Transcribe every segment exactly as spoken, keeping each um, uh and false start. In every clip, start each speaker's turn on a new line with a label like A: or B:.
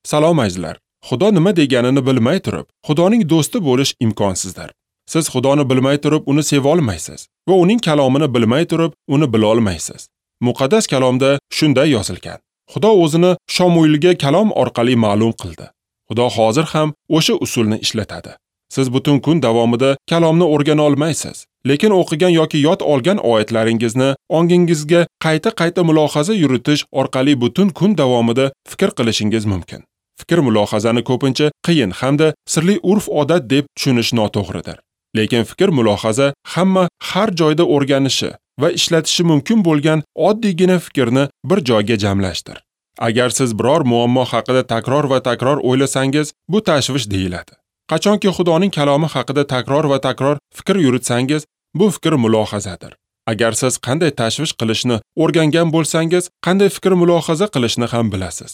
A: Salom azizlar. Xudo nima deganini bilmay turib, Xudoning do'sti bo'lish imkonsizdir. Siz Xudoni bilmay turib uni seva olmaysiz va uning kalomini bilmay turib uni bila olmaysiz. Muqaddas kalomda shunday yozilgan. Xudo o'zini Shomuilga kalom orqali ma'lum qildi. Xudo hozir ham o'sha usulni ishlatadi. Siz butun kun davomida kalomni o'rgana olmaysiz, lekin o'qigan yoki yod olgan oyatlaringizni ongingizga qayta-qayta mulohaza yuritish orqali butun kun davomida fikr qilishingiz mumkin. Fikr mulohazani ko'pincha qiyin hamda sirli urf-odat deb tushunish noto'g'ridir. Lekin fikr mulohaza hamma har joyda o'rganishi va ishlatishi mumkin bo'lgan oddiygina fikrni bir joyga jamlashdir. Agar siz biror muammo haqida takror va takror o'ylasangiz, bu tashvish deyiladi. Qachonki Xudoning kalomi haqida takror va takror fikr yuritsangiz, bu fikr mulohazadir. Agar siz qanday tashvish qilishni o'rgangan bo'lsangiz, qanday fikr mulohaza qilishni ham bilasiz.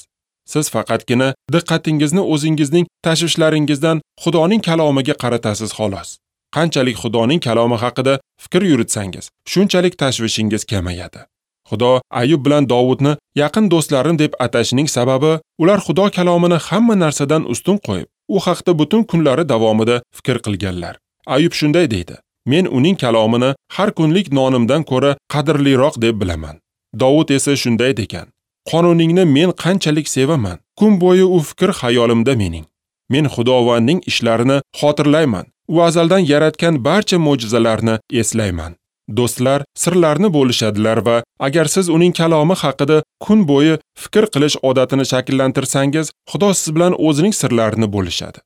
A: Siz faqatgina diqqatingizni o'zingizning tashvishlaringizdan Xudoning kalomiga qaratasiz xolos. Qanchalik Xudoning kalomi haqida fikr yuritsangiz, shunchalik tashvishingiz kamayadi. Xudo Ayub bilan Dovudni yaqin do'stlarim deb atashining sababi, ular Xudo kalomini hamma narsadan ustun qo'yib, u haqda butun kunlari davomida fikr qilganlar. Ayub shunday deydi: Men uning kalomini har kunlik nonimdan ko'ra qadrliroq deb bilaman. Dovud esa shunday degan: Qonuningni men qanchalik sevaman. Kun bo'yi u fikr xayolimda mening. Men Xudovandning ishlarini xotirlayman. U azaldan yaratgan barcha mo'jizalarni eslayman. Do'stlar sirlarni bo'lishadilar va agar siz uning kalomi haqida kun bo'yi fikr qilish odatini shakllantirsangiz, Xudo siz bilan o'zining sirlarini bo'lishadi.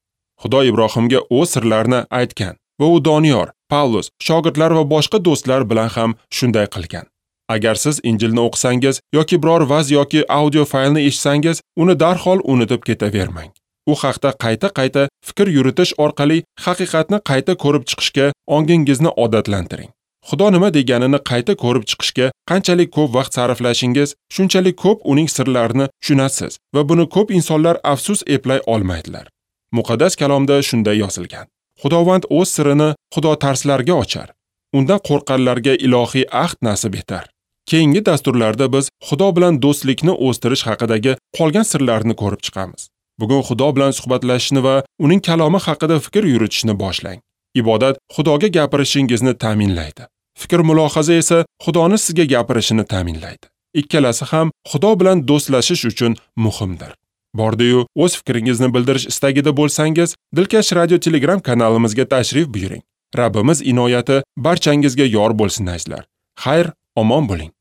A: Xudo Ibrohimga o'z sirlarini aytgan va u Doniyor, Pavlus, shogirdlar va boshqa do'stlar bilan ham shunday qilgan. Agar siz Injilni o'qisangiz yoki biror vaz yoki audio faylni eshitsangiz, uni darhol unutib ketavermang. U haqda qayta-qayta fikr yuritish orqali haqiqatni qayta ko'rib chiqishga ongingizni odatlantiring. Xudo nima deganini qayta ko'rib chiqishga qanchalik ko'p vaqt sarflashingiz, shunchalik ko'p uning sirlarini tushunasiz va buni ko'p insonlar afsus eplay olmaydilar. Muqaddas kalomda shunday yozilgan: Xudovand o'z sirini xudotarslarga ochar, undan qo'rqqanlarga ilohiy ahd nasib etar. Keyingi dasturlarda biz Xudo bilan do'stlikni o'stirish haqidagi qolgan sirlarni ko'rib chiqamiz. Bugun Xudo bilan suhbatlashishni va uning kalomi haqida fikr yuritishni boshlang. Ibodat Xudoga gapirishingizni ta'minlaydi. Fikr mulohaza esa Xudoni sizga gapirishini ta'minlaydi. Ikkalasi ham Xudo bilan do'stlashish uchun muhimdir. Bordi-yu, o'z fikringizni bildirish istagida bo'lsangiz, Dilkash Radio Telegram kanalimizga tashrif buyuring. Rabbimiz inoyati barchangizga yor bo'lsin azizlar. Xayr, omon bo'ling.